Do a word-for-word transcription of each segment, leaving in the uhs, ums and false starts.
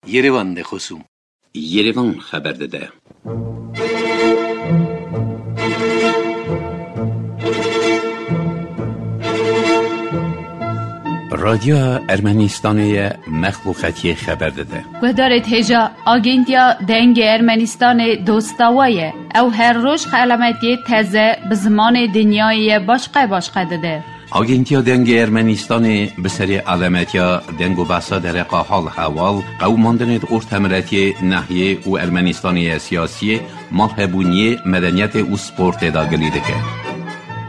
Yerevan de xosûm. Yerevan xeber dide. Radyoya Ermenistanê ye, mexluqetiyê xeber dide. Guhdarê hêja, Agentiya Dengê Ermenistanê dosta we ye. Ew her roj xelametiyê teze bi zimanê dinyayê ye başqe başqe dide. Agentiya Dengê Ermenistanê bi serê alametiya deng û behsa dereqa hal hewal, qewimandinê di ortemiletiyê, nahiyê û Ermenistanê ya siyasiyê, malhebûniyê, medeniyetê û sportê de gilî dike.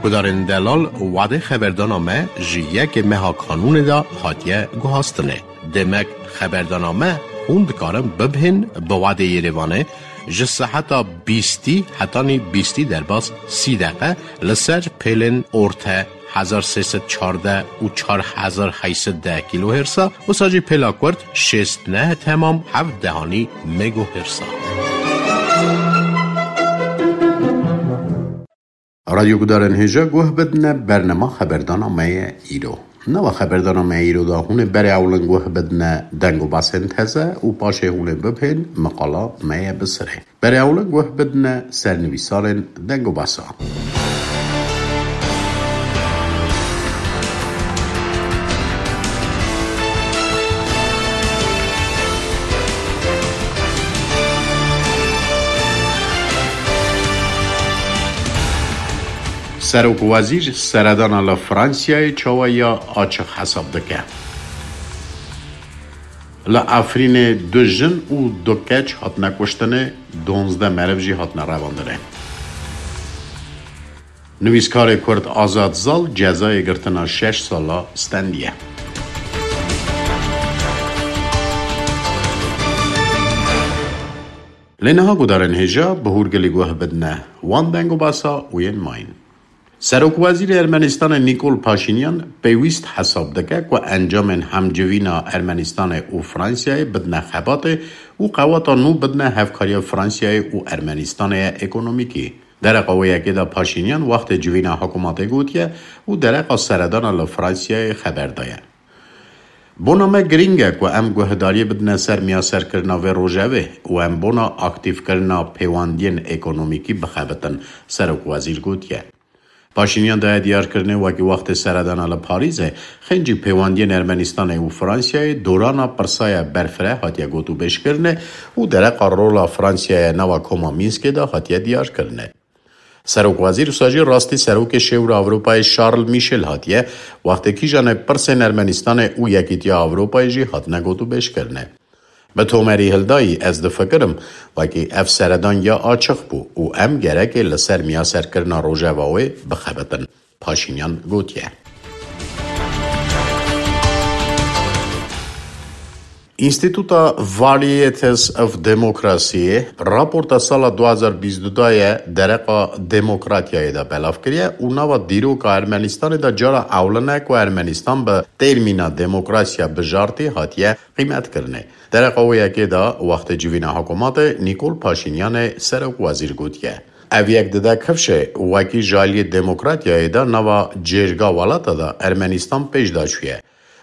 Gudarên delal, wadê xeberdana me ji yekê meha kanûnê de hatiye guhastinê. Demek xeberdana me hûn dikarin bibihên bi wadê Yerevanê ji seheta bîstî hetanî bîstî derbas sî deqe li ser pêlên orte hezar sê sed çardeh û çar hezar heyt sed deh kîlohêrsa, wisa jî pêla kurt şêst neh temam heft dehanî megohêrsa. Radyo gudarên hêja guh bidine bernema xeberdana me ye îro. Nava xeberdana me îro de hûn ê berê ewlin guh bidine deng û basên teze û paşê hûn ê bibhên miqala me ye bi sirê. Berê ewlin guh bidine sernivîsarên deng û basa. Serok Wezîr seredana li Fransiyayê çawa ya açiq hesab dike? Li Efrînê du jin û du keç hatine kuştinê, duwazdeh meriv jî hatine revandinê. Nivîskarê Kurd Azad Zal cezayê girtina şeş sala stendiye. Lê niha gudarên hêja bi hûrgilî guh bidine wan deng û basa û yên mayîn. Serokwezîrê Ermenistanê Nîkol Paşînyan pêwîst hesab dike ku encamên hemcivîna Ermenistanê û Fransiyayê bidine xebatê û qewata nû bidine hevkariya Fransiyayê û Ermenistanê ye ekonomîkî. Dereqa wê yekê de Paşînyan wextê civîna hikûmetê gotiye û dereqa seredana li Fransiyayê xeber daye. Bona me girîng e ku em guhdariyê bidine ser miyaserkirina vê rojevê û em bona aktîfkirina pêwendiyên ekonomîkî bixebitin, Serokwezîr gotiye. Paşînyan daye diyarkirinê wekî wextê seredana li Parîzê, xêncî pêwendiyên Ermenistanê û Fransiyayê dorana pirsaya berfireh hatiye gotûbêjkirinê û dereqa rola Fransiyayê nava koma Mînskê de hatiye diyarkirinê. Serokwezîr wisa jî rastî serokê Şêwra Ewropayê Charles Michel hatiye, wextê kîjanê pirsên Ermenistanê û Yekîtiya Ewropayê jî hatine gotûbêjkirinê. Bi tomerî hildayî, ez difikirim, wekî ev seredan ya açiq bû û em gerekê li ser miyaserkirina rojeva wê bixebitin, Paşînyan gotiye. Înstîtuta Varieties of Democracy raporta sala du hazar bîst û du ye dereqa demokratiyayê de belav kiriye û nava dîroka Ermenistanê de cara ewlin e ku Ermenistan bi termîna demokrasiya bijartî hatiye qîmetkirinê. Dereqa wê yekê de wextê civîna hikûmetê Nîkol Paşînyanê serok wezîr gotiye, ev yek dide kifşê wekî ji aliyê demokratiyayê de nava cêrga welata de Ermenistan pêş de çûye.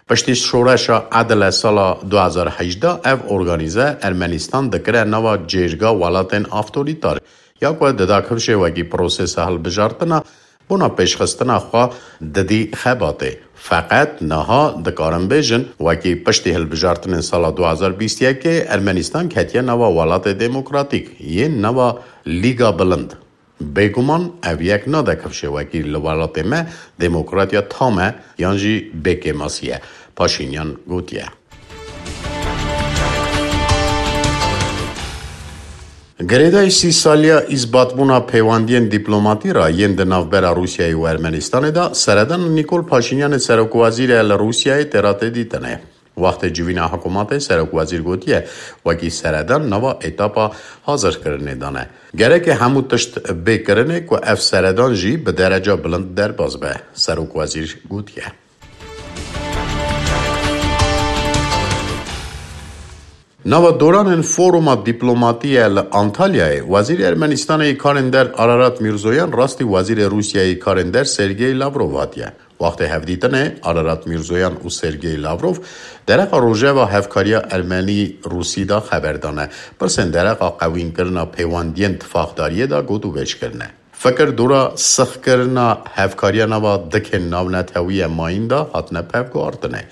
Piştî şoreşa Edile sala du hazar hejdeh ev organîze Ermenistan dikire nava cêrga welatên avtorîtar, ya ku dida kifşê wekî prosesa hilbijartina bona pêşxistina xwe didî xebatê. Feqet niha dikarin bêjin, wekî piştî hilbijartinên sala du hazar bîst yekê Ermenistan ketiye nava welatê demokratîk, yên nava Lîga Bilind. Bêguman ev yek nade kifşê wekî li welatê me demokratiya tam e yan jî bêkêmasî ye, Paşînyan gotiye. Girêdayî sî saliya îsbatbûna pêwendiyên dîplomatî re yên di navbera Rûsyayê û Ermenistanê de seredan Nîkol Paşînyanê serokwezîrê li Rûsyayê tê re tê dîtinê. Wextê civîna hikûmetê serokwezîr gotiye, wekî seredan nava etapa hazirkirinê de ne. Gereke hemû tişt bê kirinê ku ev seredan jî bi dereca bilind derbas be, serokwezîr gotiye. Nava doranên foruma dîplomatî ye li Antalyayê, Wezîrê Ermenistanê yê Karên Der Ararat Mîrzoyan rastî Wezîrê Rûsyayê yê Karên Der Sergey Lavrov hatiye. Wextê hevdîtinê Ararat Mîrzoyan û Sergey Lavrov dereqa rojeva hevkariya Ermenî-Rûsî de xeber dane. Pirsên dereqa qewînkirina pêwendiyên tifaqdariyê de gotûbêj kirine. Fikir dora sixkirina hevkariya nava dikên navnetewî ye mayîn de hatine pevguhartine.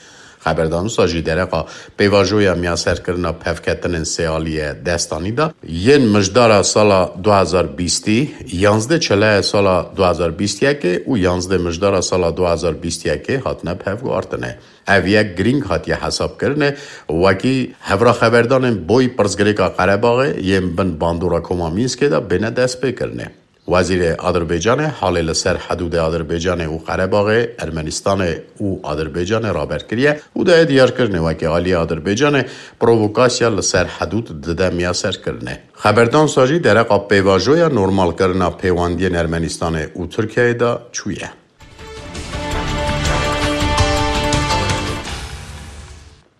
Xeberdan wisa jî dereqa pêvajoya miyaserkirina pevketinên sêalî ye destanî de yên mijdara sala du hazar bîstî, yanzdeh çelaya sala du hazar bîst yekê û yanzdeh mijdara sala du hazar bîst yekê hatine pevguhartine. Ev yek girîng hatiye hesabkirinê, wekî hevraxeberdanên boy pirsgirêka Qerebaxê yên bin bandora Koma Mînskê de bêne destpêkirinê. Wezîrê Adirbaycanê halê li ser hedûdê Adirbaycanê û Qerebaxê, Ermenistanê û Adirbaycanê raber kiriye û daye diyarkirinê wekî aliyê Adirbaycanê provokasya li ser hedûd dide miyaserkirinê. Xeberdan wisa jî dereqa pêvajoya normalkirina pêwendiyên Ermenistanê û Tirkiyeyê de çûye.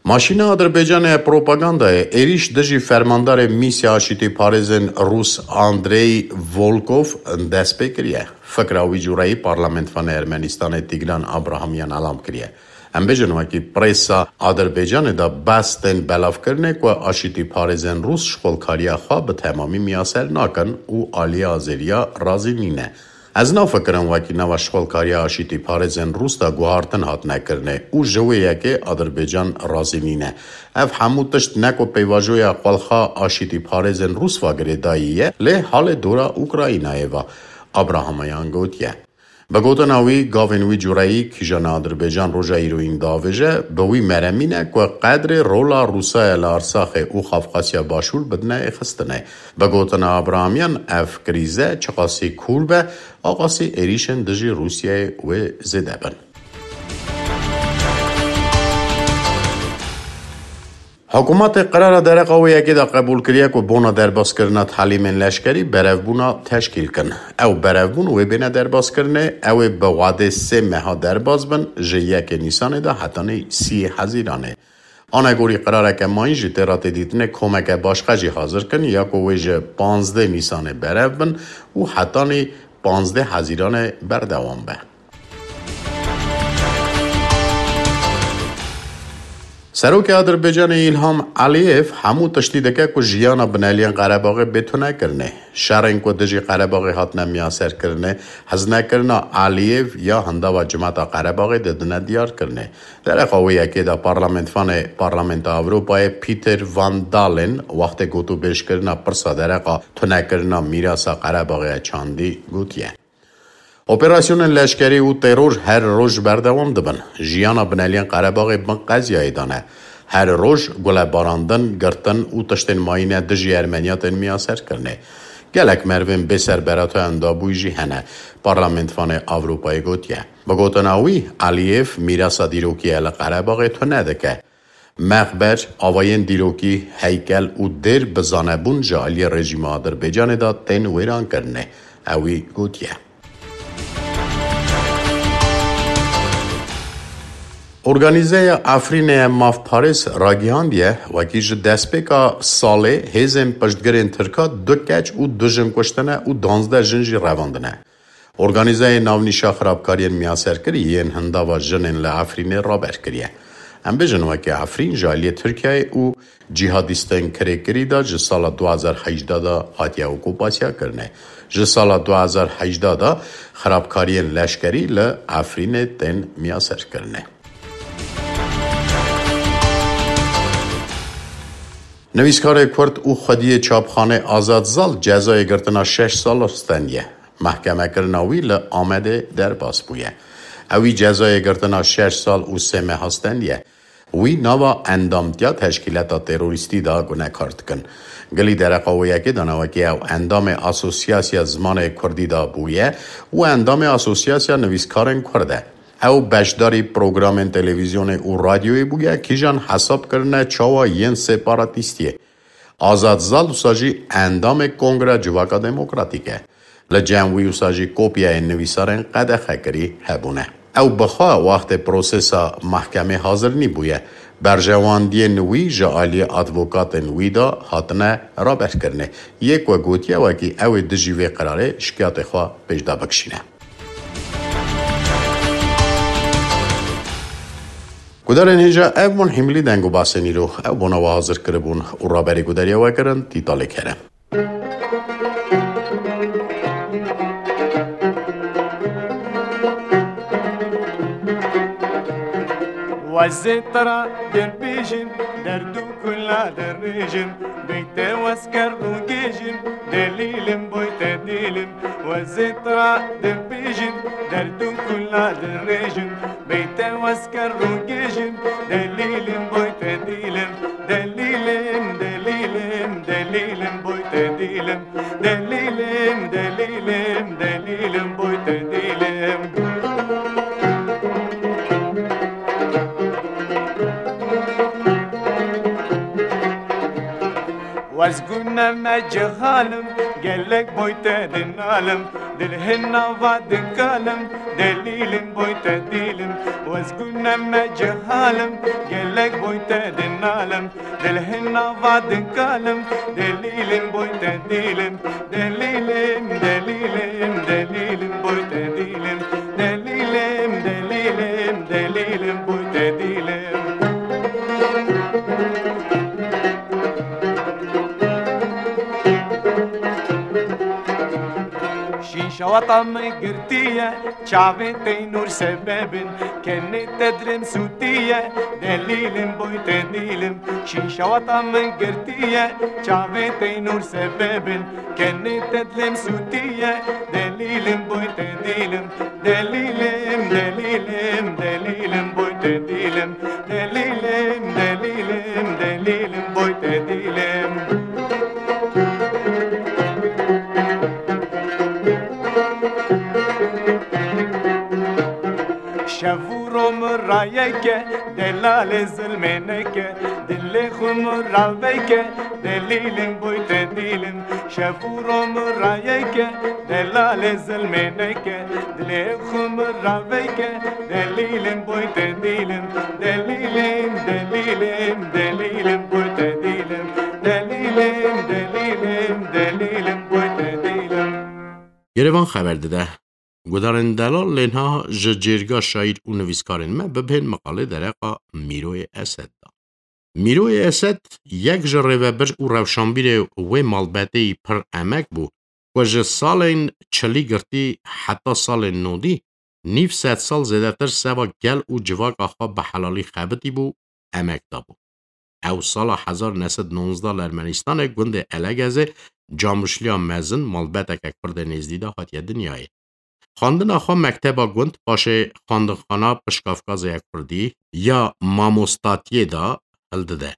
Maşîna Adirbaycanê ya propagandayê êrîş dijî fermandarê mîsya aşîtîparêzên Rûs Andrey Volkov dest pê kiriye. Fikra wî cûreyî parlamentvanê Ermenistanê Tîgran Abrahamyan elam kiriye. Em bêjin wekî presa Adirbaycanê de behs tên belavkirinê ku aşîtîparêzên Rûs şixulkariya xwe bi temamî miyaser nakin û aliyê azêriya razî nîne. Ez nafikirim wekî nava şixulkariya aşîtîparêzên Rûs de guhartin hatine kirinê û ji wê yekê Adirbaycan razî nîne. Ev hemû tişt ne ku pêvajoya xwelxa aşîtîparêzên Rûs ve girêdayî ye, lê halê dora Ukraynayê ve. Abrahamyan gotiye. Bi gotina wî, gavên wî cûreyî kîjan Adirbaycan roja îroyîn davêje, bi wî meremî ne ku qedrê rola Rûsayê li Arsaxê û Xafqasya Başûr bidine êxistinê. Bi gotina Abrahamyan, ev krîze çiqasî kûr be, aqasî êrîşên dijî Rûsyayê wê zêde bin. Hikûmetê qirara dereqa wê yekê de qebûl kiriye ku bona derbaskirina telîmên leşkerî berevbûna teşkîl kin. Ew berevbûn wê bêne derbaskirinê, ew ê bi wadê sê meha derbas bin, ji yekê Nîsanê de hetanî sîyê Hezîranê. Anegorî qirareke mayîn jî tê re tê dîtinê komeke başqe jî hazir kin ya ku wê ji panzdeh Nîsanê berev bin û hetanî panzdeh Hezîranê berdewam be. Serokê Adirbaycanê Îlham Eliyev hemû tiştî dike ku jiyana bineliyên Qerebaxê bê tunekirinê. Şerên ku dijî Qerebaxê hatine miyaserkirinê, hezinekirina Eliyev ya hindava cimata Qerebaxê didine diyarkirinê. Dereqa wê yekê de parlamentvanê Parlamenta Ewropayê Peter Van Dalen wextê gotûbêjkirina pirsa dereqa tunekirina mîrasa Qerebaxê ya çandî gotiye. Operasyonên leşkerî û teror her roj berdewam dibin. Jiyana bineliyên Qerebaxê bin qeziyayê de ne. Her roj gulebarandin, girtin û tiştên mayîne dijî Ermeniya tên miyaserkirinê. Gelek merivên bêserberata endabûyî jî hene, Parlamentvanê Ewropayê gotiye. Bi gotina wî, Eliyev mîrasa dîrokî ye li Qerebaxê tune dike. Mexber, avayên dîrokî, heykel û dêr bi zanebûn ji aliyê rejîma Adirbaycanê de tên wêrankirinê, ewî gotiye. Organîzeya Efrînê ya mafparêz ragihandiye, wekî ji destpêka salê hêzên piştgirên Tirka du keç û du jin kuştine û duwazdeh jin jî revandine. Organîzeyê navnîşa xirabkariyên miyaserkirî yên hindava jinên li Efrînê raber kiriye. Em bêjin weke Efrîn ji aliyê Tirkiyeyê û cîhadîstên kirêkirî de ji sala du hazar hejdeh de hatiye okupasya kirine. Ji sala du hazar hejdeh de xirabkariyên leşkerî li Efrînê tên miyaserkirine. Nivîskarê Kurd û xwediyê çapxanê Azad Zal cezayê girtina şeş sal stendiye. Mehkemekirina wî li Amedê derbas bûye. Ewî cezayê girtina şeş sal û sê meha stendiye. Wî nava endamtiya teşkîleta terorîstî de gunekar dikin. Gilî dereqa wê yekê dana wekî ew endamê Asosyasiya Zimanê Kurdî de bûye û endamê Asosyasiya Nivîskarên Kurd e. Ew beşdarî programên televîzyonê û radyoyê bûye, kîjan hesab kirine çawa yên separatîstiyê. Azad Zal wisa jî endamê Kongra Civaka Demokratîk e. Li cem wî wisa jî kopyayên nivîsarên qedexekirî hebûne. Ew bi xwe wextê prosesa mehkemê hazir nîbûye. Berjewendiyên wî ji aliyê advokatên wî de hatine raberkirinê. Yê ku gotiye wekî ew ê dijî vê qirarê şikayetê xwe pêş de bikişîne. Gudarên hêja ev bûn hîmilî deng û basên îro. Ew bona we hazir kiribûn û raberî gudariya we kirin Tîtalê Kerem. Wezê tira dibêjin, derd û kula dirêjin, beyte wezker û gêjin, delîlim boyte dîlim. Wezê tira dibêjin, derd û kula dirêjin, beyte wezker û gêjin, delîlim boyte dîlim. Delîlim, delîlim, delîlim boyte dîlim. Delîlim, delîlim, delîlim boyte dîlim. Wezgûne me cehalim, gelek boyte dinalim, dil hin nava dikalim, delîlim boyte dîlim. Wezgûne me cehalim, gelek boyte dinalim, dil hin nava dikalim, delîlim boyte dîlim. Delîlim, delîlim, delîlim boyte dîlim. Delîlim, delîlim, delîlim boyte dîlim. Şîşawata min girtiye, çavên teynûr sebebin, kenê te dilêm sûtiye, delîlim boyte dîlim. Şîşawata min girtiye, çavên teynûr sebebin, kenê te dilêm sûtiye, delîlim boyte dîlim. Delîlim, delîlim, delîlim boyte dîlim. Delîlim, delîlim, delîlim boyte dîlim. Şev û ro min rayeke, delalê zilmê neke, dilê xwe min raveke, delîlim boyte dîlim. Şev û ro min rayeke, delalê zilmê neke, dilê xwe min raveke, delîlim boyte dîlim. Delîlim, delîlim, delîlim boyte dîlim. Delîlim, delîlim, delîlim boyte dîlim. Yerevan xeber dide. Gudarên delal lê niha ji cêrga şaîr û nivîskarên me bibihên miqalê dereqa Mîroyê Esed de. Mîroyê Esed yek ji rêvebir û rewşanbîrê wê malbeteyî pir emek bû ku ji salên çilî girtî heta salên nodî nîv sed sal zêdetir seva gel û civaka xwe bi helalî xebitî bû, emek dabû. Ew sala hezar neh sed nonzdeh li Ermenîstanê gundê Elegezê Camuşliya Mezin malbeteke Kurdê nêzdî de hatiye dinyayê. Xwendina xwe mekteba gund, paşê xwendinxana pişkafkazê ya Kurdî ya mamostatiyê de hildide.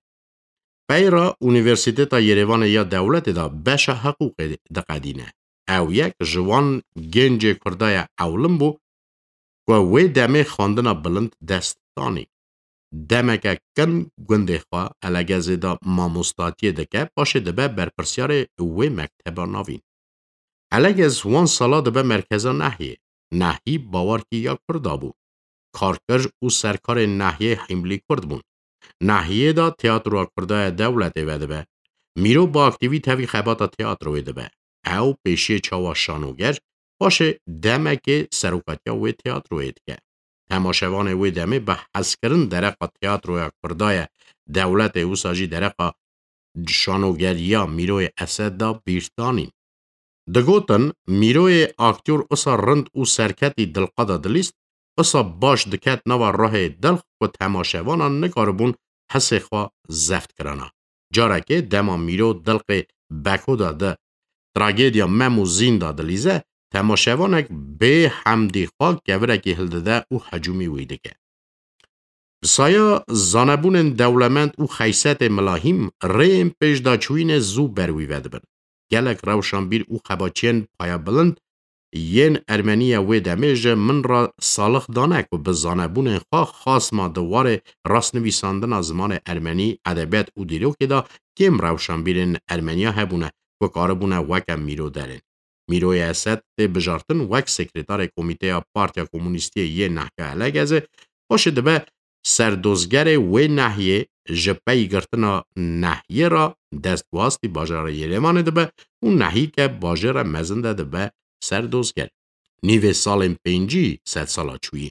Peyra Unîversîteta Yerêvanê ya dewletê de beşa hiqûqê diqedîne. Ew yek ji wan gencê Kurda ya ewlin bû ku wê demê xwendina bilind dest danî. Demeke kin gundê xwe Elegezê de mamostatiyê dike, paşê dibe berpirsyarê wê mekteba navîn. Elegez wan sala dibe merkeza Nehiyê. Nehî bawerkî ya Kurda bû. Karker û serkarê Nehiyê hîmlî Kurd bûn. Nehiyê de teatroya Kurda ya dewletê vedibe. Mîro bi aktîvî tevî xebata teatroyê dibe. Ew pêşiyê çawa şanoger, paşê demekê serokatiya wê teatroyê dike. Temaşevanê wê demê bi hezkirin dereqa teatroya Kurda ya dewletê, wisa jî dereqa şanogeriya Mîroyê Esed de bîr danîn. Digotin, Mîroyê aktyor wisa rind û serketî dilqada dilîst, wisa baş diket nava ruhê dilx ku temaşevanan nikaribûn hisê xwe zeft kirana. Carekê dema Mîro dilqê Beko de di tragediya Mem û Zîn de dilîze, temaşevanek bê hemdî xwe kevirekî hildide û hecûmî wî dike. Bi saya zanebûnên dewlemend û xeysetê milahîm, rêyên pêşdaçûyînê zû ber wî vedibin. Gelek rewşanbîr û xebatçiyên payebilind yên Ermenî ya wê demê ji min re salix dane ku bi zanebûnên xwe xasma di warê rastnivîsandina zimanê ermenî, edebiyat û dîrokê de kêm rewşanbîrên Ermeniya hebûne ku karibûne weke Mîro derên. Mîroyê Esed tê bijartin wek sekretarê komîteya Partiya Komûnîstiyê yê Nehya Elegezê, paşê dibe serdozgerê wê nehiyê, ji pey girtina nehiyê re dest bi wastî bajarê Yerêvanê dibe û nehî ke bajêre mezin de dibe serdozger. Nîvê salên pêncî sedsala çûyî.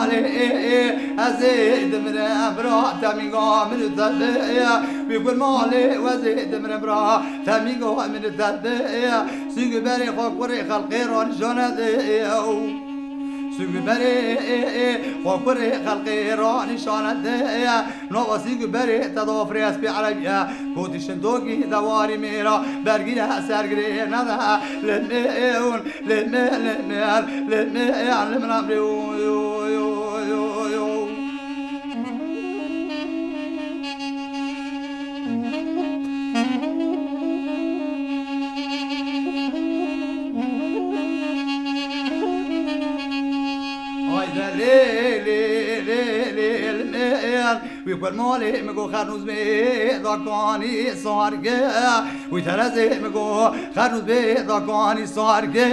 malê, ê, ê, ez ê dimire, bira, temînga min û te be, ê, wî gur malê, ez ê dimire, bira, temînga min û te be, ê, sîngu berê xwe kurê xelqê ra nîşane de, ê, û sîngu berê, ê, ê, xwe kurê xelqê ra nîşane de, ê, nava sîngu berê te da firê espê erebî ye, gotî şindokî dewarî mêra, bergîre sergirê nede, lê me, ê, ûn, lê me, lê me, lê me, ê, lê me, lê me, ê, lê me, lê me, Wî ku malê min got xernûz bê dakanî sarge. Wî terezê min got xernûz bê dakanî sarge.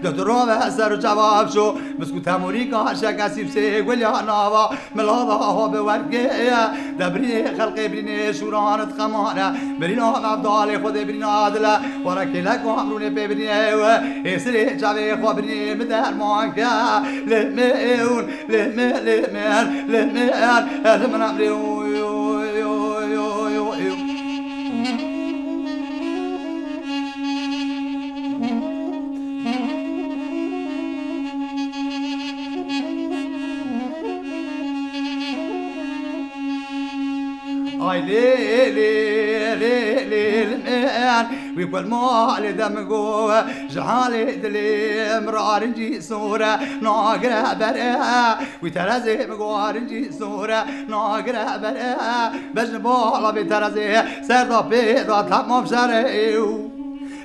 De tu rave ser û çava biço. Biskû temûrîka şekesî bi sê gulya nava milava ha bi werge. De birînê xelqê birînê şûran diqemane. Birîna mevdalê xwedê birîna dile. Were kêleka emrûnê pê birînê we. Ê sirê çavê xwe birînê min derman ke. Lê me ewn. Lê me, lê me, lê me, lê me, lê me. Ay lê, lê, lê, lê, lê me. Wî ku li malê de min got, ji halê dilê min rarincî sor e, nagire ber e. Wî terezê min got, "Rincî sor e, nagire ber e." Bejn bala vê terezê, ser da pê da temam şer e.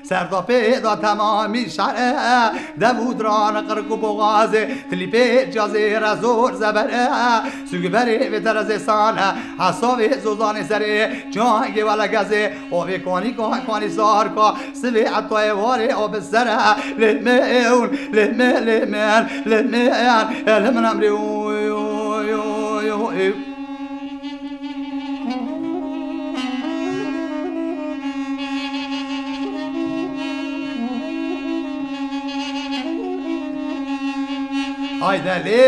Ser da pê da temamî şer e. Dev û diran, qirk û boxazê, tilî pê cazê re zor zeber e. Sûgî berê vê terezê sane, hesavê zozanê serê, çangê wele gezê. Ovê kanî ka, kanî sar ka, sivê etayê warê o bi ser e. Lê me ewn, lê me, lê me, lê me, lê me emrê, oy, oy, oy, oy, oy. Hayde lê,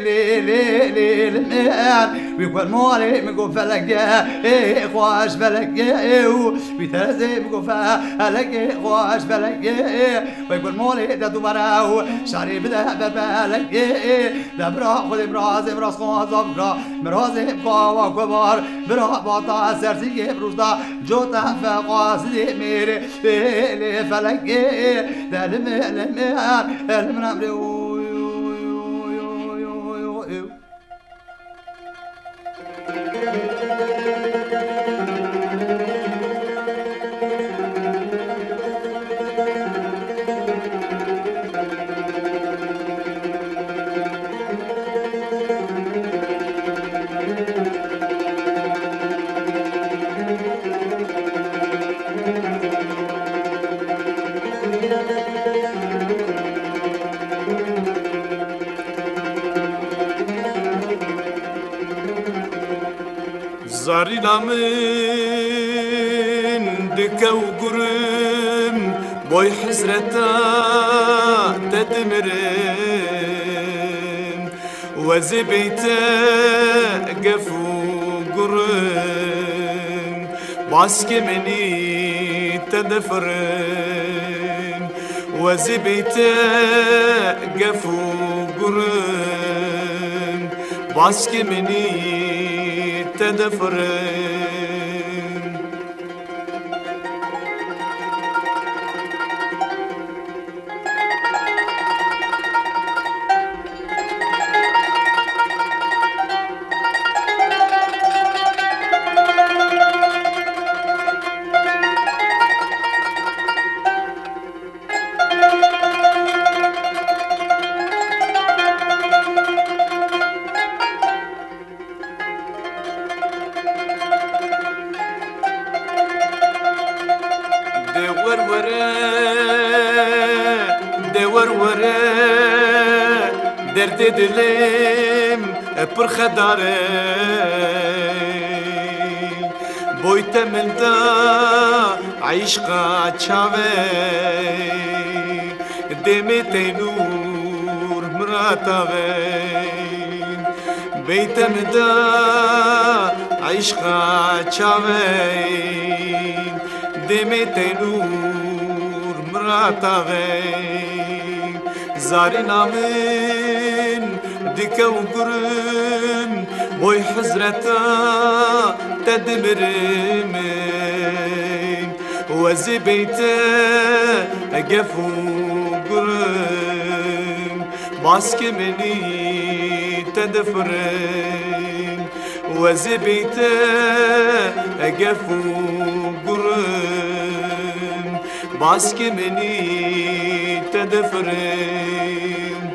lê, lê, lê, lê me. Wî ku li malê min got felekê, ê, xweş felekê, ê, û wî terezê min got felekê, xweş felekê, ê, wê ku li malê de dû were û şerê bide ber felekê, ê, de bira xwedê mirazê miraz xwaza bira, mirazê kawa kubar, bira bata sersîgê rûzda, cota feqa sidê mêrê, ê, lê felekê, ê, de li me, li me, li min emrê, oy, oy, oy. Zarîna min dike û gurim, boy hizreta te dimirim. Wezê beyte gef û gurim, baskê menî te defirim. Wezê beyte gef û gurim, baskê menî te defirim. De wer were, de wer were, derdê dilê min pir xedar e. Boy te min da, Eşqa çavê, demê teynûr mirata ve. Beyte min da, eşqa çavê, demê teynûr mirata ve. Zarîna min dike û gurim, boy hizreta te dimirim. Wezê beyte gef û gurim, baskê menî te difirim. Wezê beyte gef û gurim, baskê menî te difirim.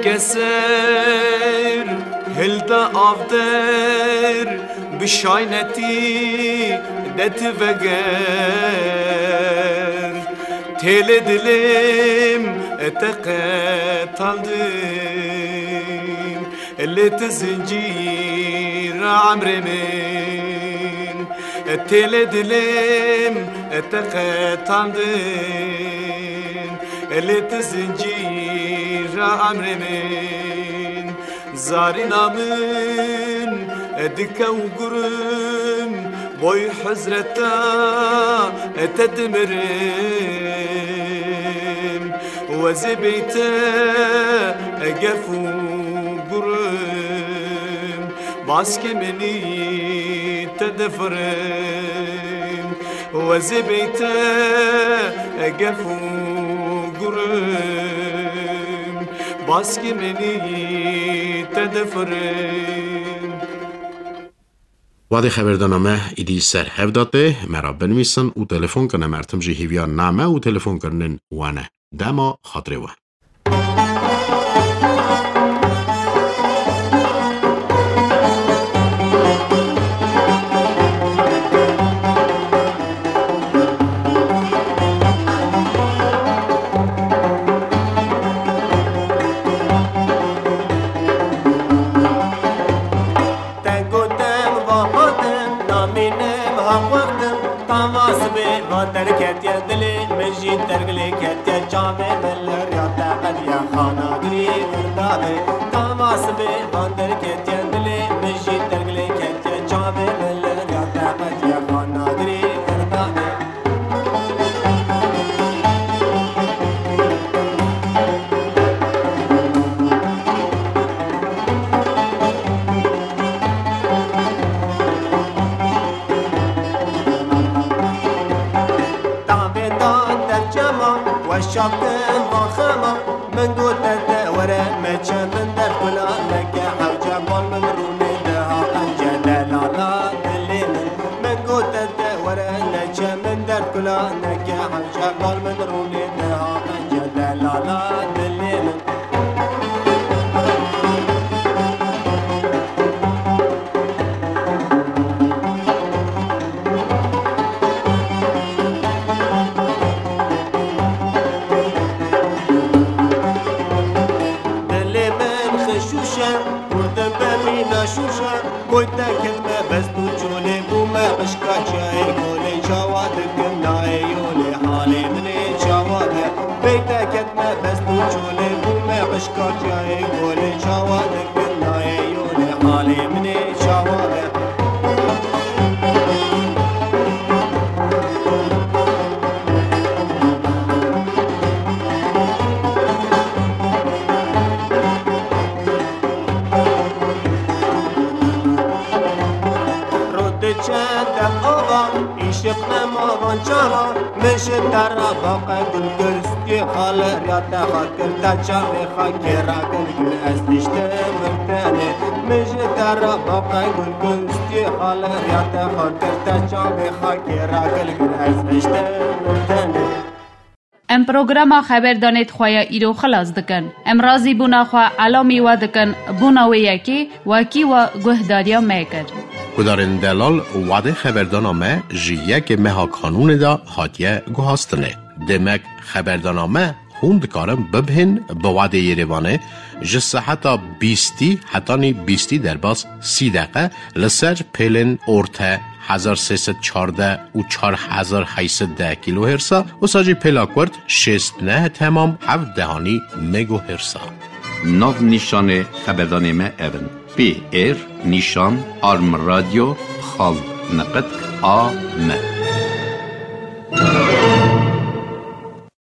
Keser hilda avder, bi şaynetî de ti veger. Têlê dilêm te qetandin, lê ti zincîra emrê min. Têlê dilêm te qetandin, lê ti zincîra emrê min. Zarîna min dike û gurim, boy hezreta te dimirim. Wezê beyte gef û gurim, baskê minî te difirim. Wezê beyte gef û gurim, baskê minî te difirim. Wadê xeberdana me îdî ser hev da tê, me ra binivîsin û telefon kin, em ertim jî hîviya name û telefon kirinin wane. Dema xatirê we. Te gotin va hatin, namînim haq wextin, tava sibê va derketiye dilê min jî tergilê ketiye, çavê min li riya te qediye, xana girî girda be. Tava sibê va derketiye dilê min jî tergilê ketiye, çavê min li riya te qediye, xana girî girda be. Tavê da derçema, weşa kim va xema, min gote te were meçe min derd kula neke hewce bal min rûnê diha qence delala dilê min. Min gote te were neçe min derd kula neke hewce bal min rûnê diha qence delala dilê min. Dilê min xişûş e, hûrdim be mîna şûş e. Boy te ketme best û çolê bûme qişka çiyayê kolê çawa dikim nayê yolê halê min ê çawa be. Bey te ketme best û çolê bûme qişka çiyayê kolê çawa dikim nayê yolê halê min ê çawa be. Rû diçe de ava, îşiq nema van çaxa, min ji te re baqe gul kir, stûyê xwe li riya te xwe kir, te çavê xwe kê re gul kir, ez diştim vir tenê. Min ji te re baqe gul kir, stûyê xwe li riya te xwe kir, te çavê xwe kê re gul kir, ez diştim vir tenê. Em programa Xeberdanê di xwe ya îro xilas dikin. Em razîbûna xwe elamî we dikin, bona wê yekê wekî we guhdariya me kir. Gudarên delal, wadê xeberdana me ji yekê meha Kanûnê de hatiye guhastinê. Demek xeberdana me hûn dikarin bibihên bi wadê Yerêvanê ji seheta bîstî hetanî bîstî derbas sî deqe li ser pêlên orte hezar sê sed çardeh û çar hezar heyt sed deh kîlohêrsa, wisa jî pêla kurt şêst neh temam heft dehanî megohêrsa. Nav nîşanê xeberdanê me ev in: P R nîşan arm radyo xal niqitk a m.